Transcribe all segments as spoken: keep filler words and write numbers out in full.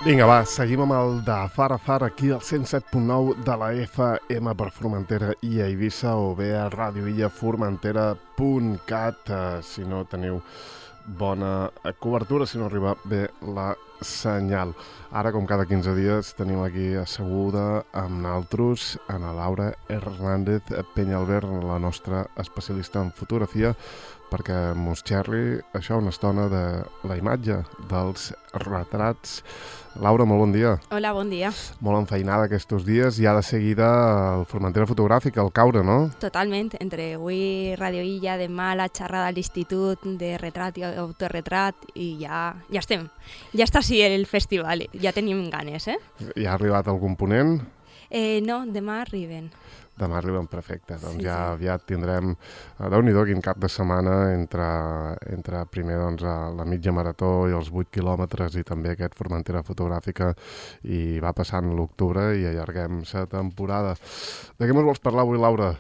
Vinga, va, seguim amb el de Far a Far aquí al cent set punt nou de la F M per Formentera i a Eivissa o bé a radioillaformentera punt cat eh, si no teniu bona cobertura, si no arriba bé la senyal. Ara, com cada quinze dies, tenim aquí asseguda amb naltros Ana Laura Hernández Peñalver, la nostra especialista en fotografia, perquè mos xerri això una estona de la imatge, dels retrats. Laura, molt bon dia. Hola, bon dia. Molt enfeinada aquests dies, ja de seguida el Formentera Fotogràfic, el caure, no? Totalment, entre avui Radio Illa, demà la xerrada a l'Institut de Retrat i Autorretrat i ja, ja estem. Ja està així el festival, ja tenim ganes, eh? Ja ha arribat algun ponent? Eh, no, demà arriben. Demà arriben, perfecte. Doncs sí, ja sí. aviat tindrem, déu-n'hi-do, quin cap de setmana entre, entre primer doncs, la mitja marató i els vuit quilòmetres i també aquest Formentera Fotogràfica i va passant l'octubre i allarguem la temporada. De què ens vols parlar avui, Laura?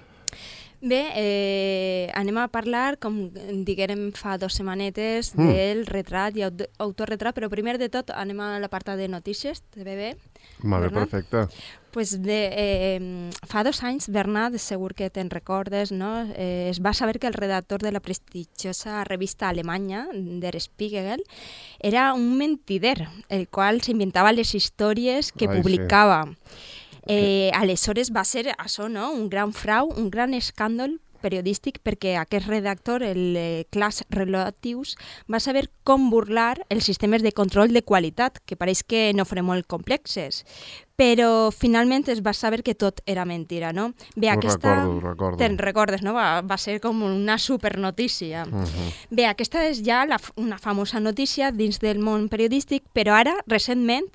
Bé, eh, anem a parlar, com diguérem fa dues setmanetes, Mm. del retrat i aut- autorretrat, però primer de tot anem a l'apartat de notícies, T V B. Molt bé, Bernat? perfecte. Pues bé, eh, fa dos anys, Bernat, segur que te'n recordes, no? Eh, es va saber que el redactor de la prestigiosa revista alemanya, Der Spiegel, era un mentider, el qual s'inventava les històries que Ai, sí. publicava. Eh, aleshores va ser això, no? Un gran frau, un gran escàndol periodístic perquè aquest redactor, el eh, Klaas Relotius, va saber com burlar els sistemes de control de qualitat, que pareix que no foren molt complexes. Però finalment es va saber que tot era mentira, no? Bé, Ho aquesta... recordo, ho recordo. Te'n recordes, no? Va, va ser com una supernotícia. Uh -huh. Bé, aquesta és ja la, una famosa notícia dins del món periodístic, però ara, recentment,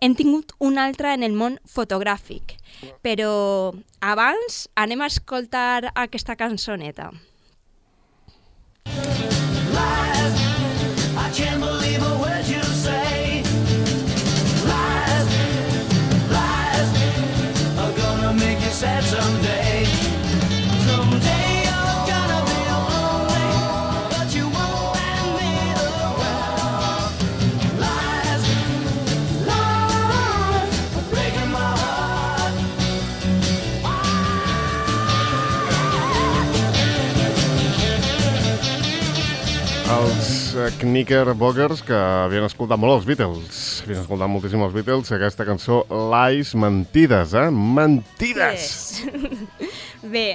hem tingut una altra en el món fotogràfic. Però abans anem a escoltar aquesta cançoneta. Lies, I can't believe a word you say. Lies, lies, are gonna make you sad someday. Someday you're gonna be lonely, but you won't hand me the world. Lies, lies, are breaking my heart. Els eh, Knickerbockers, que havien escoltat molt els Beatles, havien escoltat moltíssim els Beatles, aquesta cançó Lies, mentides, eh? Mentides! Yes. Bé,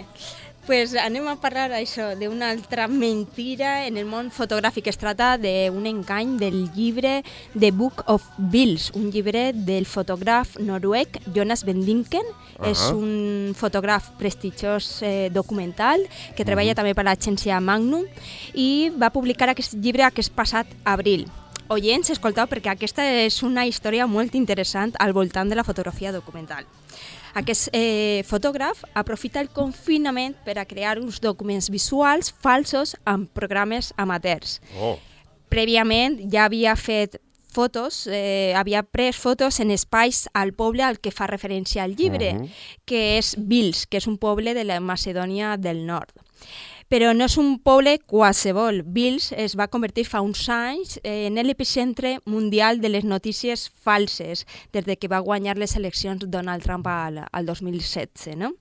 pues anem a parlar això d'una altra mentira en el món fotogràfic. Es tracta d'un engany del llibre The Book of Bills, un llibre del fotògraf noruec Jonas Bendinken. Ah. És un fotògraf prestigiós eh, documental que treballa Mhm. també per l'agència Magnum i va publicar aquest llibre aquest passat abril. Oients, escolteu, perquè aquesta és una història molt interessant al voltant de la fotografia documental. Aquest eh, fotògraf aprofita el confinament per a crear uns documents visuals falsos amb programes amateurs. Oh, Prèviament ja havia fet fotos, eh, havia pres fotos en espais al poble al que fa referència al llibre, Mhm. que és Vils, que és un poble de la Macedònia del Nord. Però no és un poble qualsevol. Vils es va convertir fa uns anys en l'epicentre mundial de les notícies falses des de que va guanyar les eleccions Donald Trump al, al dos mil setze, no?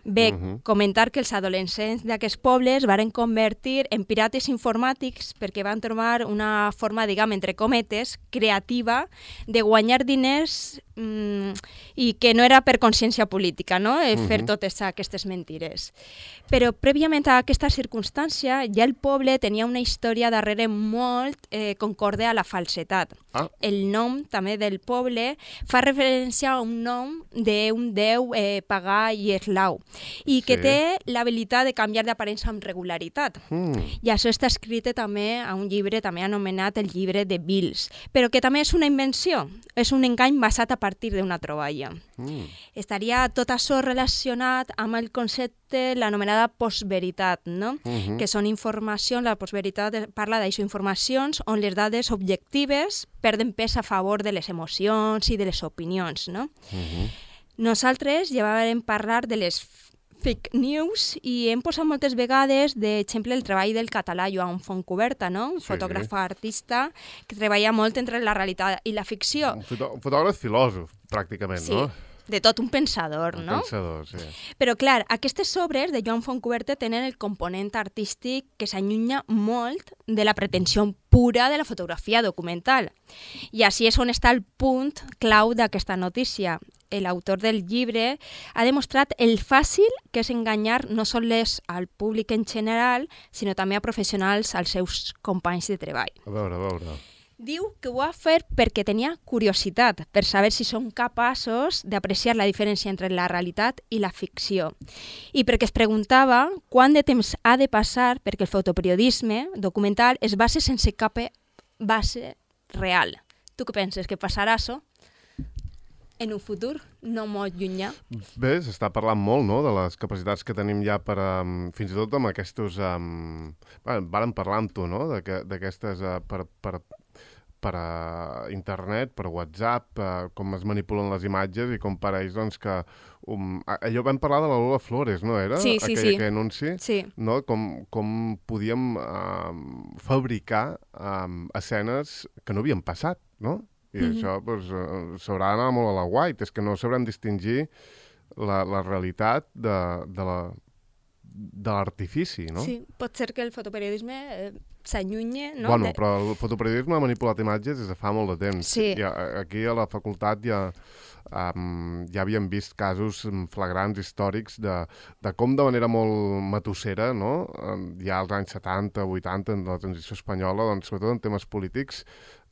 Bé, Mhm. comentar que els adolescents d'aquests pobles varen convertir en pirates informàtics perquè van trobar una forma, diguem, entre cometes, creativa de guanyar diners mm, i que no era per consciència política, no? Eh, fer Mhm. totes aquestes mentires. Però prèviament a aquesta circumstància ja el poble tenia una història darrere molt eh, concorde a la falsetat. Ah. El nom també del poble fa referència a un nom d'un déu eh, pagà i eslau i que Sí. té l'habilitat de canviar d'aparença amb regularitat. mm. I això està escrit també a un llibre també anomenat el llibre de Bills, però que també és una invenció, és un engany basat a partir d'una troballa. Mm. Estaria tot això relacionat amb el concepte, l'anomenada postveritat, no? Mhm. Que són informacions, la postveritat parla d'això, informacions on les dades objectives perden pes a favor de les emocions i de les opinions, no? Mhm. Nosaltres ja vam parlar de les fake news i hem posat moltes vegades d'exemple el treball del català Joan Fontcuberta, no? Un Sí. fotògraf artista que treballa molt entre la realitat i la ficció. Un, fotò un fotògraf filòsof, pràcticament, Sí, no? de tot un pensador, Un no? pensador, sí. Però, clar, aquestes obres de Joan Fontcuberta tenen el component artístic que s'allunya molt de la pretensió pura de la fotografia documental. I així és on està el punt clau d'aquesta notícia. L'autor del llibre ha demostrat el fàcil que és enganyar no sols al públic en general, sinó també a professionals, als seus companys de treball. A veure, a veure. Diu que ho va fer perquè tenia curiositat per saber si són capaços d'apreciar la diferència entre la realitat i la ficció. I perquè es preguntava quant de temps ha de passar perquè el fotoperiodisme documental es base sense cap base real. Tu què penses? Que passarà això en un futur no molt llunyà? Bé, s'està parlant molt, no?, de les capacitats que tenim ja per, um, fins i tot amb aquests... Um, bueno, vàrem parlar amb tu, no?, d'aquestes... Uh, per, per, per a internet, per WhatsApp, uh, com es manipulen les imatges i com pareix, doncs, que... Um, allò vam parlar de la Lola Flores, no era? Sí, sí, aquell, sí. Aquell anunci? Sí. No? Com, com podíem um, fabricar um, escenes que no havien passat, no? I mm-hmm. això doncs, uh, s'haurà d'anar molt a la guait, és que no sabrem distingir la, la realitat de, de la de l'artifici, no? Sí, pot ser que el fotoperiodisme eh, s'allunye, no? Bueno, de... però el fotoperiodisme ha manipulat imatges des de fa molt de temps. Sí. I aquí a la facultat ja, um, ja havíem vist casos flagrants històrics de, de com de manera molt matussera, no? Ja als anys setanta, vuitanta, en la transició espanyola, doncs, sobretot en temes polítics,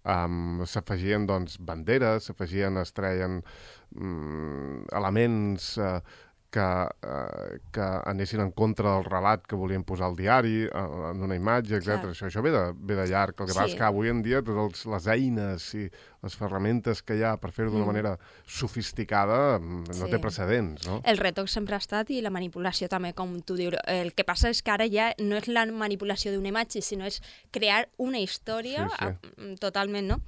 Um, s'afegien doncs, banderes, s'afegien, es treien um, elements uh, que, uh, que anessin en contra del relat que volien posar al diari, uh, en una imatge, etcètera. Això, això ve, de, ve de llarg. El que Sí. passa és que avui en dia totes les eines i les ferramentes que hi ha per fer-ho d'una Mm. manera sofisticada no Sí. té precedents, no? El retoc sempre ha estat i la manipulació també, com tu dius. El que passa és que ara ja no és la manipulació d'una imatge, sinó és crear una història Sí, sí. a, totalment, no?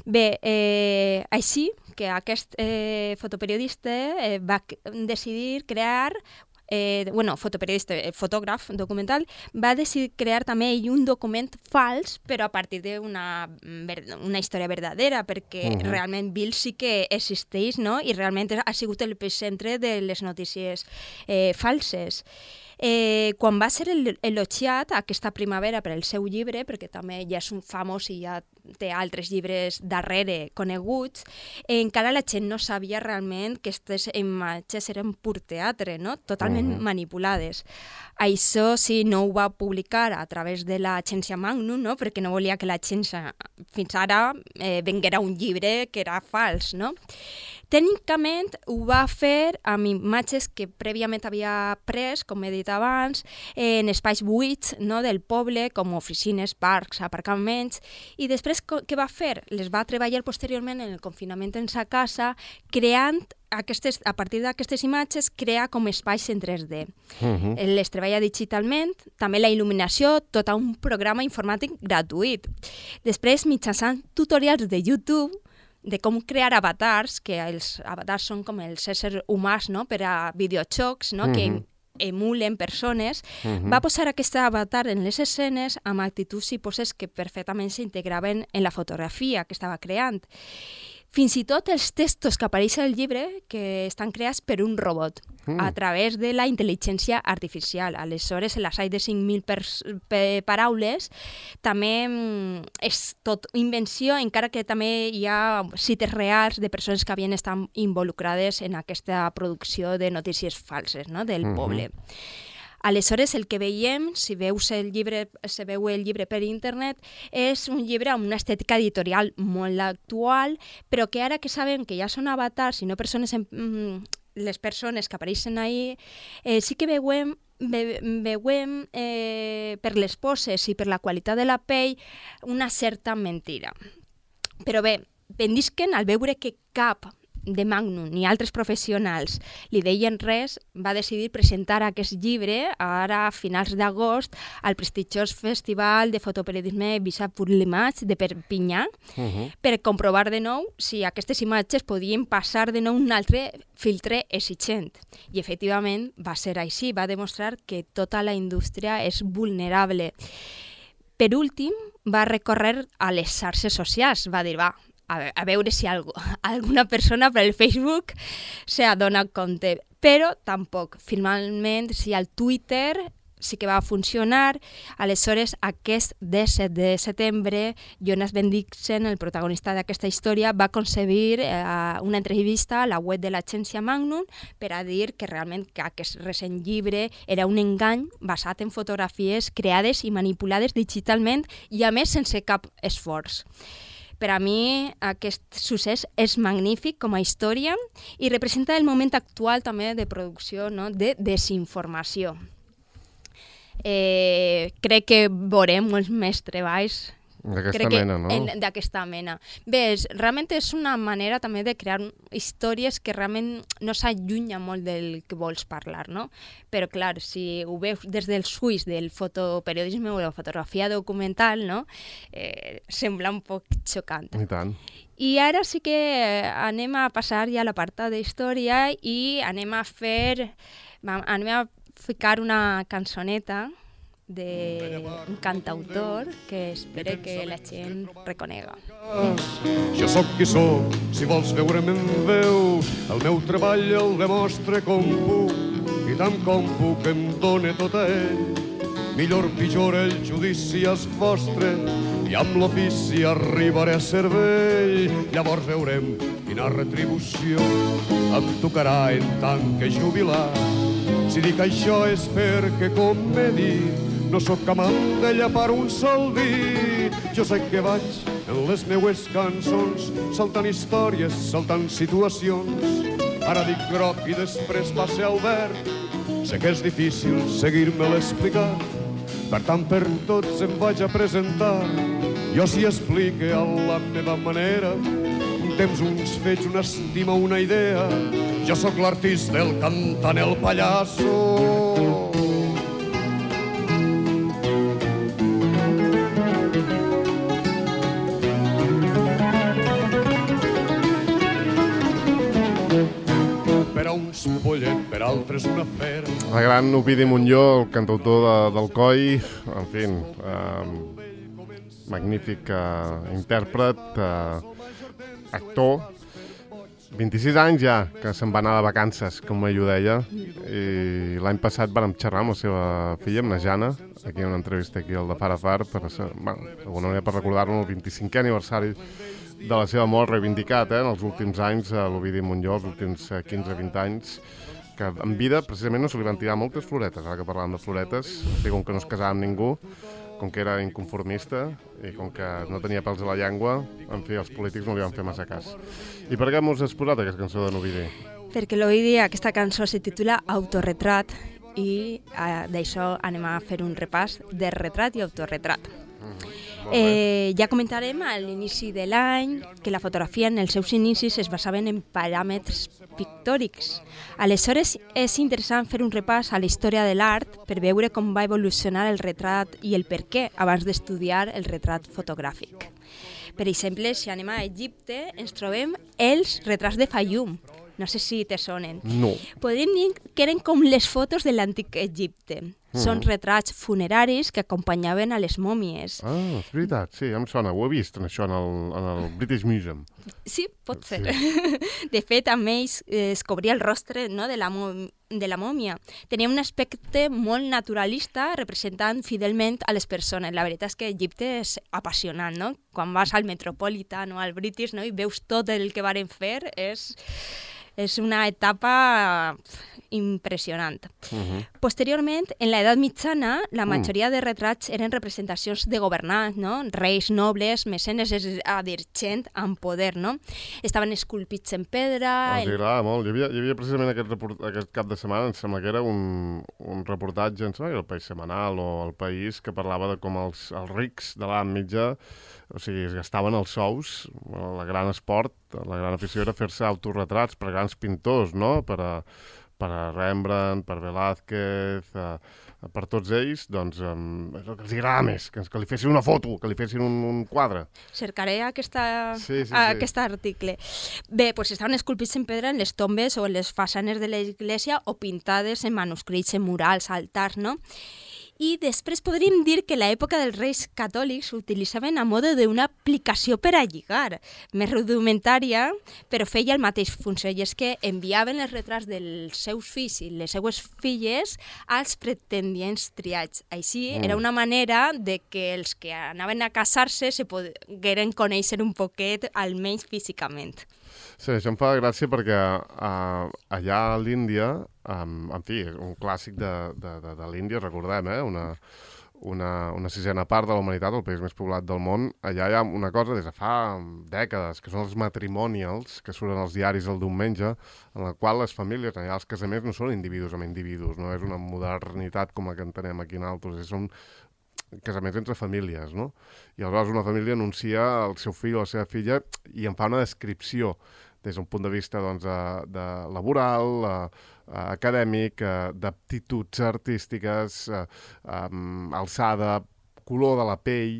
Bé, eh, així que aquest eh, fotoperiodista eh, va decidir crear Eh, bueno, fotoperiodista, eh, fotògraf documental, va decidir crear també ell un document fals, però a partir d'una una història verdadera, perquè Uh-huh. realment Bill sí que existeix, no? I realment ha sigut el centre de les notícies eh, falses. Eh, quan va ser el, elogiat aquesta primavera per el seu llibre, perquè també ja és un famós i ja té altres llibres darrere coneguts, eh, encara la gent no sabia realment que aquestes imatges eren pur teatre, no? Totalment Uh-huh. manipulades. Això sí, no ho va publicar a través de l'agència Magnum, no? Perquè no volia que l'agència fins ara eh, venguera un llibre que era fals, no? Tècnicament ho va fer amb imatges que prèviament havia pres, com he dit abans, en espais buits, no, del poble, com oficines, parcs, aparcaments, i després què va fer? Les va treballar posteriorment en el confinament en sa casa, creant aquestes, a partir d'aquestes imatges, crea com espais en tres D. Uh-huh. Les treballa digitalment, també la il·luminació, tot un programa informàtic gratuït. Després, mitjançant tutorials de YouTube, de com crear avatars, que els avatars són com els éssers humans, no?, per a videojocs, no?, Mhm. que emulen persones, Mhm. va posar aquest avatar en les escenes amb actituds i poses que perfectament s'integraven en la fotografia que estava creant. Fins i tot els textos que apareixen al llibre que estan creats per un robot, Mm. a través de la intel·ligència artificial. Aleshores, l'assai de cinc mil paraules també mm, és tot invenció, encara que també hi ha cites reals de persones que havien estat involucrades en aquesta producció de notícies falses, no?, del Mhm. poble. Aleshores, el que veiem, si veus el llibre, si veu el llibre per internet, és un llibre amb una estètica editorial molt actual, però que ara que sabem que ja són avatars i no persones, en, mm, les persones que apareixen ahí, eh, sí que veiem, ve, veiem eh, per les poses i per la qualitat de la pell una certa mentira. Però bé, vendisquen al veure que cap de Magnum ni altres professionals li deien res, va decidir presentar aquest llibre ara a finals d'agost al prestigiós Festival de Fotoperiodisme Visa pour l'Image de Perpinyà uh -huh. per comprovar de nou si aquestes imatges podien passar de nou un altre filtre exigent. I efectivament va ser així, va demostrar que tota la indústria és vulnerable. Per últim, va recórrer a les xarxes socials, va dir, va, a, a veure si algo, alguna persona per el Facebook se adona compte, però tampoc. Finalment, si al Twitter sí que va funcionar. Aleshores, aquest disset de setembre, Jonas Bendixen, el protagonista d'aquesta història, va concebir eh, una entrevista a la web de l'agència Magnum per a dir que realment que aquest recent llibre era un engany basat en fotografies creades i manipulades digitalment i, a més, sense cap esforç. Per a mi aquest succés és magnífic com a història i representa el moment actual també de producció, no?, de desinformació. Eh, crec que veurem molts més treballs d'aquesta mena, no? D'aquesta mena. Bé, és, realment és una manera també de crear històries que realment no s'allunyen molt del que vols parlar, no? Però, clar, si ho veus des dels ulls del fotoperiodisme o de la fotografia documental, no? Eh, sembla un poc xocant. I tant. I ara sí que anem a passar ja a l'apartat d'història i anem a fer... anem a ficar una cançoneta d'un cantautor que espero que la gent reconega. Jo sóc qui sóc, si vols veure'm en veu, el meu treball el demostre com puc, i tant com puc em dóna tot a ell. Millor pitjor el judici és vostre, i amb l'ofici arribaré a cervell. Llavors veurem quina retribució em tocarà en tant que jubilat. Si dic això és perquè, com m'he dit, no sóc amant de llapar un sol dit. Jo sé que vaig en les meues cançons saltant històries, saltant situacions. Ara dic groc i després passe al verd. Sé que és difícil seguir-me l'explicar, per tant per tots em vaig a presentar. Jo s'hi explique a la meva manera, un temps, uns fets, una estima, una idea. Jo sóc l'artista, el cantant, el pallasso. Per a uns pollet, per altres una fera. El gran Ovidi Montllor, el cantautor de, del Coi, en fi, eh, magnífic eh, intèrpret, eh, actor, vint-i-sis anys ja, que se'n va anar de vacances, com ell ho deia, i l'any passat vam xerrar amb la seva filla, amb la Jana, aquí en una entrevista aquí al de Far a Far, per, bueno, d'alguna manera per recordar-lo el vint-i-cinquè aniversari de la seva mort, reivindicat, eh, en els últims anys, a l'Ovidi Montllor, els últims quinze a vint anys, que en vida, precisament, no se li van tirar moltes floretes, ara que parlàvem de floretes, com que no es casava amb ningú, com que era inconformista i com que no tenia pèls a la llengua, en fi, els polítics no li van fer massa cas. I per què mos has posat aquesta cançó de l'Ovidi? Perquè l'Ovidi, aquesta cançó se titula Autorretrat i eh, d'això anem a fer un repàs de retrat i autorretrat. Mm, eh, ja comentarem a l'inici de l'any que la fotografia en els seus inicis es basaven en paràmetres pictòrics. Aleshores és interessant fer un repàs a la història de l'art per veure com va evolucionar el retrat i el per què abans d'estudiar el retrat fotogràfic. Per exemple, si anem a Egipte, ens trobem els retrats de Fayum. No sé si te sonen. No. Podríem dir que eren com les fotos de l'antic Egipte. Mm. Són retrats funeraris que acompanyaven a les mòmies. Ah, és veritat, sí, em sona. Ho he vist, això, en el, en el British Museum. Sí, pot ser. Sí. De fet, amb ells eh, es cobria el rostre, no, de la, de la mòmia. Tenia un aspecte molt naturalista, representant fidelment a les persones. La veritat és que Egipte és apassionant, no? Quan vas al Metropolitan o al British, no, i veus tot el que varen fer, és... és una etapa impressionant. Uh -huh. Posteriorment, en l'edat mitjana, la majoria de retrats eren representacions de governants, no? Reis, nobles, mecenes, és a dir, gent amb poder, no? Estaven esculpits en pedra... Els agradava molt. Hi havia, hi havia precisament aquest, report, aquest cap de setmana, em sembla que era un, un reportatge, em sembla que era el País Setmanal o el País, que parlava de com els, els rics de l'edat mitja, o sigui, es gastaven els sous, el gran esport, la gran afició era fer-se autorretrats per grans pintors, no? Per a, per a Rembrandt, per Velázquez, a, a, per tots ells, doncs um, és el que els agrada més, que, que li fessin una foto, que li fessin un, un quadre. Cercaré aquesta, sí, sí, sí. aquest article. Bé, doncs estaven esculpits en pedra en les tombes o en les façanes de l'església o pintades en manuscrits, en murals, altars, no? I després podríem dir que l'època dels reis catòlics s'utilitzaven a mode d'una aplicació per a lligar, més rudimentària, però feia el mateix funció, i és que enviaven els retrats dels seus fills i les seues filles als pretendients triats. Així, mm. era una manera de que els que anaven a casar-se se pogueren conèixer un poquet, almenys físicament. Sí, això em fa gràcia perquè uh, allà a l'Índia, um, en fi, és un clàssic de, de, de, de l'Índia, recordem, eh? una, una, una sisena part de la humanitat, el país més poblat del món. Allà hi ha una cosa des de fa dècades, que són els matrimonials, que surten als diaris el diumenge, en la qual les famílies, allà els casaments no són individus amb individus, no és una modernitat com la que entenem aquí en altres, són casaments entre famílies, no? I aleshores una família anuncia el seu fill o la seva filla i en fa una descripció des d'un punt de vista doncs, de, de laboral, eh, acadèmic, eh, d'aptituds artístiques, eh, um, alçada, color de la pell,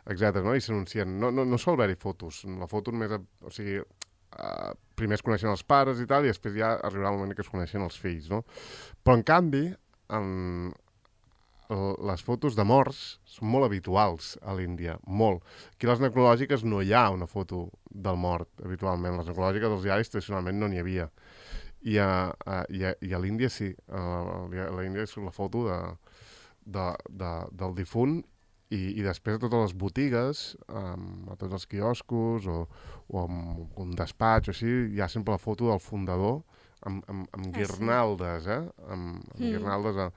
etcètera. No? I s'anuncien. No, no, no sol haver-hi fotos. La foto només... O sigui, eh, primer es coneixen els pares i tal, i després ja arribarà el moment que es coneixen els fills, no? Però, en canvi, en, les fotos de morts són molt habituals a l'Índia, molt. Aquí a les necrològiques no hi ha una foto del mort, habitualment. Les necrològiques dels diaris tradicionalment no n'hi havia. I a, a, i a, i a l'Índia sí. A l'Índia és la foto de, de, de, del difunt i, i després a totes les botigues, um, a tots els quioscos o, o en un despatx o així, hi ha sempre la foto del fundador amb, amb, amb guirnaldes, eh? Amb, amb mm. guirnaldes. A,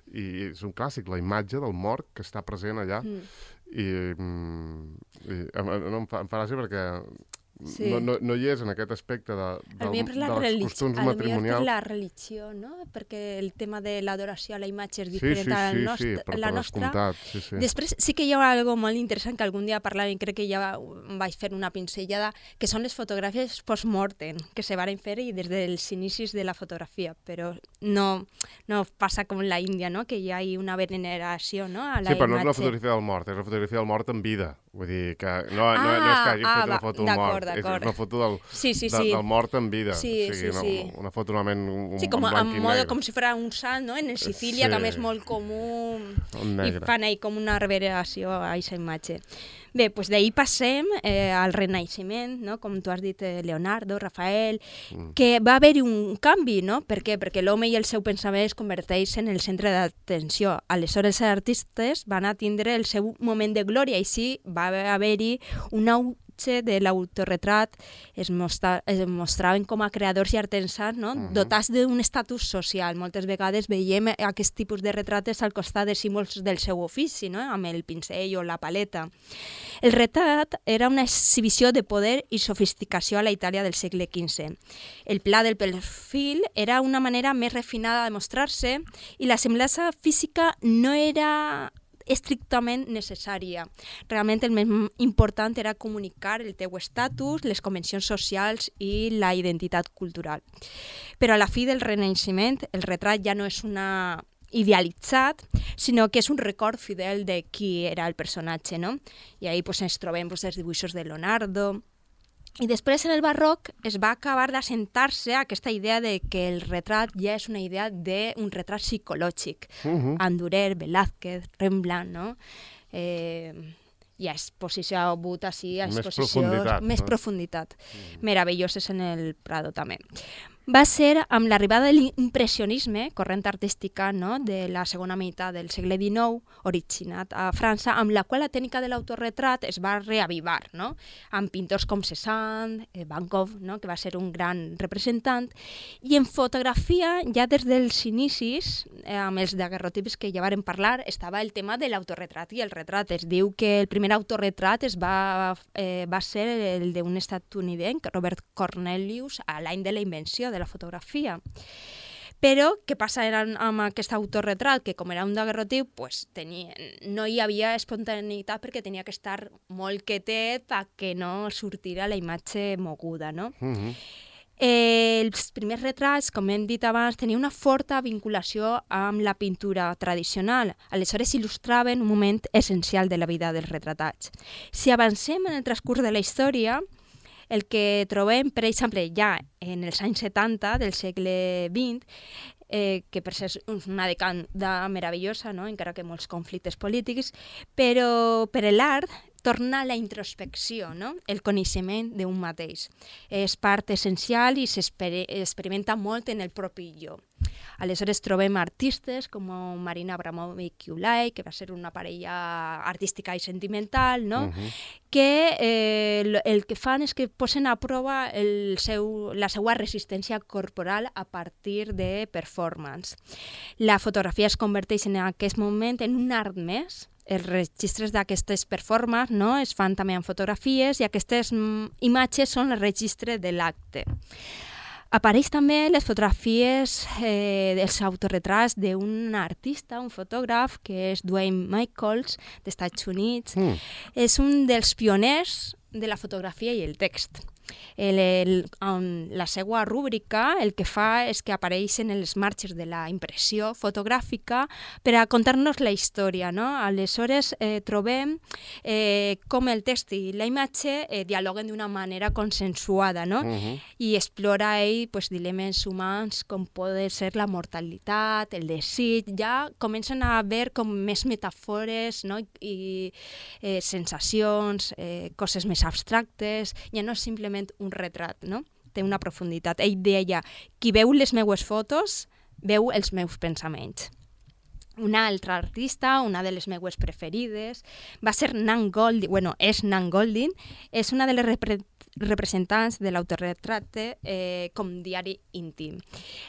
I és un clàssic, la imatge del mort que està present allà. Mm. I, i no, em fa, em fa gràcia perquè sí. no, no, no hi és en aquest aspecte de, del, dels costums matrimonials. Per la religió, no? Perquè el tema de l'adoració a la imatge és diferent sí, sí, a la, sí, nostra, sí, per, la per nostra. Sí, sí. Després sí que hi ha algo molt interessant que algun dia parlàvem, i crec que ja vaig fer una pinzellada, que són les fotografies post-mortem que se varen fer i des dels inicis de la fotografia, però no, no passa com la Índia, no? Que hi ha una veneració, no? A la sí, però imatge. No és la fotografia del mort, és la fotografia del mort en vida. Vull dir que no, ah, no, no és que hagin ah, fet una foto del mort, és una foto del, sí, sí, de, sí. del mort en vida. Sí, o sigui, sí, una, sí. una foto normalment un, sí, com, un blanc i modo, negre. com si fos un salt, no? En Sicília, sí. Que és molt comú, i fan ahí com una revereació a aquesta imatge. Bé, doncs d'ahir passem eh, al Renaixement, no? Com tu has dit, eh, Leonardo, Rafael, mm. que va haver-hi un canvi, no? Per què? Perquè l'home i el seu pensament es converteixen en el centre d'atenció. Aleshores, els artistes van a tindre el seu moment de glòria, i així va haver-hi un auge de l'autorretrat, es, mostra, es mostraven com a creadors i artesans, no? Uh-huh. Dotats d'un estatus social. Moltes vegades veiem aquest tipus de retrates al costat de símbols del seu ofici, no? Amb el pincell o la paleta. El retrat era una exhibició de poder i sofisticació a la Itàlia del segle quinze. El pla del perfil era una manera més refinada de mostrar-se i la semblança física no era estrictament necessària. Realment el més important era comunicar el teu estatus, les convencions socials i la identitat cultural. Però a la fi del Renaixement el retrat ja no és una idealitzat, sinó que és un record fidel de qui era el personatge, no? I ahí pues, ens trobem pues, els dibuixos de Leonardo. I després, en el barroc, es va acabar d'assentar-se aquesta idea de que el retrat ja és una idea d'un retrat psicològic. Uh-huh. Andurer, Velázquez, Rembrandt, no? Eh, ja és posicionat així a exposicions... Més profunditat. Més no? profunditat. Mm. Meravelloses en el Prado, també. va ser amb l'arribada de l'impressionisme, corrent artística, no?, de la segona meitat del segle dinou, originat a França, amb la qual la tècnica de l'autorretrat es va reavivar, no?, amb pintors com Cézanne, Van Gogh, no?, que va ser un gran representant, i en fotografia, ja des dels inicis, eh, amb els daguerrotips que ja vàrem parlar, estava el tema de l'autorretrat i el retrat. Es diu que el primer autorretrat es va, eh, va ser el d'un estatunidenc, Robert Cornelius, a l'any de la invenció de la fotografia. Però què passa amb aquest autorretrat? Que com era un daguerrotiu, pues, tenia, no hi havia espontaneïtat perquè tenia que estar molt quietet perquè no sortira la imatge moguda, no? Mm-hmm. Eh, els primers retrats, com hem dit abans, tenien una forta vinculació amb la pintura tradicional. Aleshores il·lustraven un moment essencial de la vida dels retratats. Si avancem en el transcurs de la història, el que trobem, per exemple, ja en els anys setanta del segle vint, eh, que per ser una dècada meravellosa, no?, encara que molts conflictes polítics, però per l'art torna la introspecció, no?, el coneixement d'un mateix. És part essencial i s'experimenta molt en el propi jo. Aleshores trobem artistes com Marina Abramovic i Ulay, que va ser una parella artística i sentimental, no?, uh-huh. que eh, el, el que fan és que posen a prova el seu, la seva resistència corporal a partir de performance. La fotografia es converteix en aquest moment en un art més. Els registres d'aquestes performances, no?, es fan també en fotografies i aquestes mm, imatges són el registre de l'acte. Apareix també les fotografies eh, dels autorretrats d'un artista, un fotògraf, que és Dwayne Michaels, dels Estats Units. Mm. És un dels pioners de la fotografia i el text. El, el, en la seva rúbrica el que fa és que apareixen els marges de la impressió fotogràfica per a contar-nos la història, no? Aleshores eh, trobem eh, com el text i la imatge eh, dialoguen d'una manera consensuada, no? Uh-huh. I explora ell pues, dilemes humans com poden ser la mortalitat, el desig, ja comencen a haver com més metàfores, no? I eh, sensacions, eh, coses més abstractes, ja no és simplement un retrat, no? Té una profunditat. Ell deia, qui veu les meues fotos, veu els meus pensaments. Una altra artista, una de les meues preferides, va ser Nan Goldin, bueno, és Nan Goldin, és una de les repre representants de l'autorretrat eh, com diari íntim.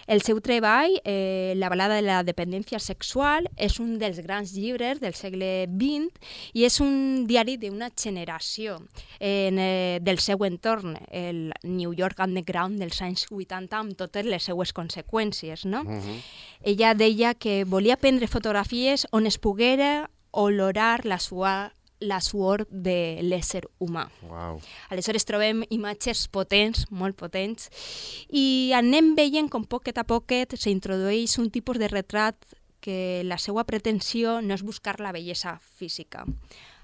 El seu treball, eh, La balada de la dependència sexual, és un dels grans llibres del segle vint i és un diari d'una generació en, eh, del seu entorn, el New York Underground dels anys vuitanta, amb totes les seues conseqüències, no? Uh-huh. Ella deia que volia prendre fotografies on es poguera olorar la suor la suor de l'ésser humà. Wow. Aleshores trobem imatges potents, molt potents, i anem veient com poquet a poquet s'introdueix un tipus de retrat que la seva pretensió no és buscar la bellesa física.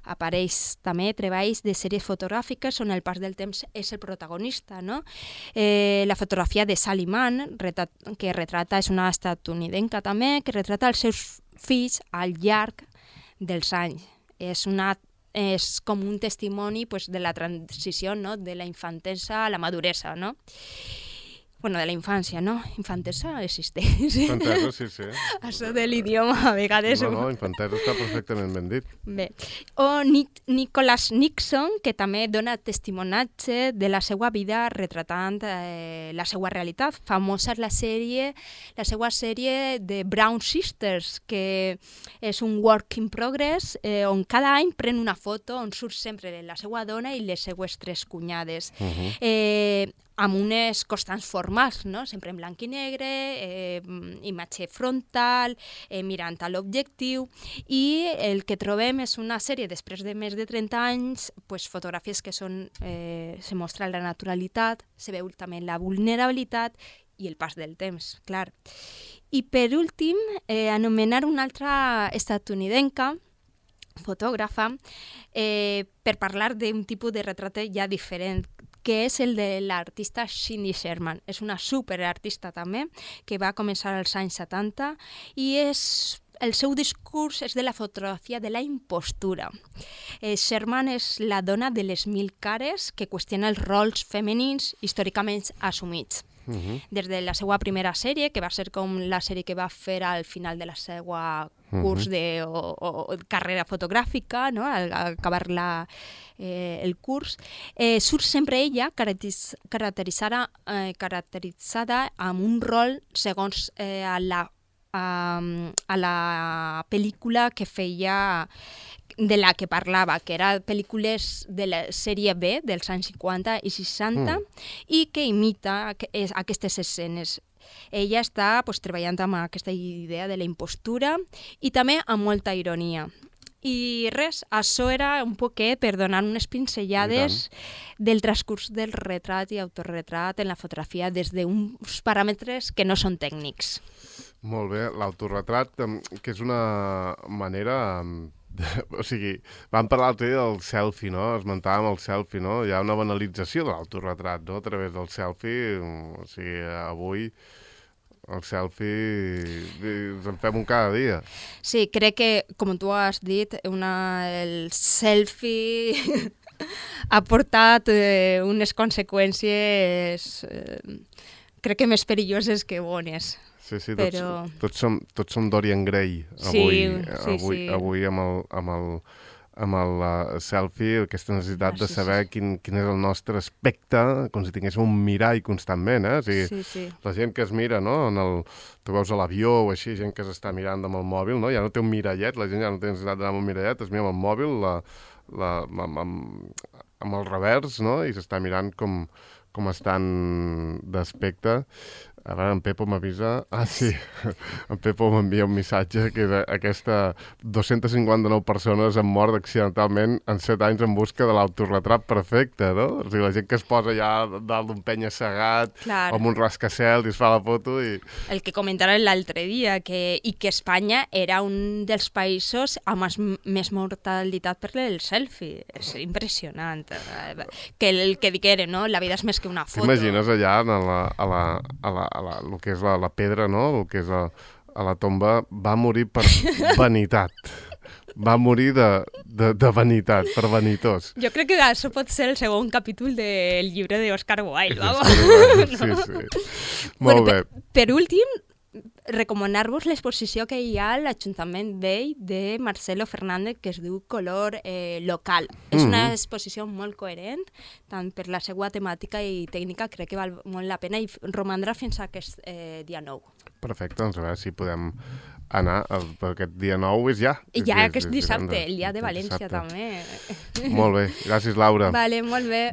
Apareix també treballs de sèries fotogràfiques on el pas del temps és el protagonista, no? Eh, la fotografia de Sally Mann, retrat, que retrata, és una estatunidenca també, que retrata els seus fills al llarg dels anys. És, una, és com un testimoni pues, de la transició, no?, de la infantesa a la maduresa, no? Bueno, de la infància, no? Infantesa existeix. Infantesa, sí, sí. Això de l'idioma, a vegades... No, no, infantesa està perfectament ben dit. Bé. O Nic Nicholas Nixon, que també dona testimonatge de la seva vida retratant eh, la seva realitat. Famosa és la sèrie, la seva sèrie de Brown Sisters, que és un work in progress, eh, on cada any pren una foto on surt sempre la seva dona i les seues tres cunyades. Uh-huh. eh, amb unes constants formals, no? Sempre en blanc i negre, eh, imatge frontal, eh, mirant a l'objectiu, i el que trobem és una sèrie, després de més de trenta anys, pues, fotografies que són, eh, se mostra la naturalitat, se veu també la vulnerabilitat i el pas del temps, clar. I per últim, eh, anomenar una altra estatunidenca, fotògrafa, eh, per parlar d'un tipus de retrat ja diferent, que és el de l'artista Cindy Sherman. És una superartista també, que va començar als anys setanta, i és, el seu discurs és de la fotografia de la impostura. Eh, Sherman és la dona de les mil cares que qüestiona els rols femenins històricament assumits. Mhm. des de la seva primera sèrie, que va ser com la sèrie que va fer al final de la seva curs de, o, o carrera fotogràfica, no? al, al acabar la, eh, el curs, eh, surt sempre ella caracteriz, caracteritzada, eh, caracteritzada amb un rol segons eh, a, la, a, a la pel·lícula que feia, de la que parlava, que era pel·lícules de la sèrie B dels anys cinquanta i seixanta mm. i que imita aquestes escenes. Ella està pues, treballant amb aquesta idea de la impostura i també amb molta ironia. I res, això era un poquet per donar unes pinzellades del transcurs del retrat i autorretrat en la fotografia des d'uns paràmetres que no són tècnics. Molt bé, l'autorretrat, que és una manera... O sigui, vam parlar l'altre dia del selfie, no? Esmentàvem el selfie, no? Hi ha una banalització de l'autorretrat, no? A través del selfie, o sigui, avui el selfie ens en fem un cada dia. Sí, crec que, com tu has dit, una, el selfie ha portat eh, unes conseqüències eh, crec que més perilloses que bones. Sí, sí, tots, però... tots, som, tots som Dorian Gray avui, sí, sí, avui, sí. avui amb el, amb el, amb el uh, selfie, aquesta necessitat ah, sí, de saber sí. Quin, quin és el nostre aspecte, com si tinguéssim un mirall constantment, eh? O sigui, sí, sí. La gent que es mira, no? En el, tu veus a l'avió o així, gent que s'està mirant amb el mòbil, no? Ja no té un mirallet, la gent ja no té necessitat d'anar amb un mirallet, es mira amb el mòbil, la, la, amb, amb, amb el revers, no? I s'està mirant com, com estan d'aspecte. A veure, en Pepo m'avisa... Ah, sí, en Pepo m'envia un missatge que aquesta dos-centes cinquanta-nou persones han mort accidentalment en set anys en busca de l'autorretrat perfecte, no? O sigui, la gent que es posa ja dalt d'un penya-segat o amb un rascacel i es fa la foto i... El que comentàrem l'altre dia, que, i que Espanya era un dels països amb més, més mortalitat per el selfie. És impressionant. Que el que digueren, no? La vida és més que una foto. T'imagines allà a la... A la, a la a la, el que és la, la pedra, no? El que és a, a la tomba, va morir per vanitat. Va morir de, de, de vanitat, per vanitós. Jo crec que això pot ser el segon capítol del llibre d'Oscar Wilde, vamos. Sí, sí. Molt bueno, bé. Per, per últim, recomanar-vos l'exposició que hi ha a l'Ajuntament Vell de Marcelo Fernández, que es diu Color eh, Local. Mm-hmm. És una exposició molt coherent, tant per la seva temàtica i tècnica, crec que val molt la pena i romandrà fins a aquest eh, dia nou. Perfecte, doncs a veure si podem anar, el, per aquest dia nou és ja. I ja és, aquest és, dissabte, és el dia de València dissabte. També. Molt bé, gràcies Laura. Vale, molt bé.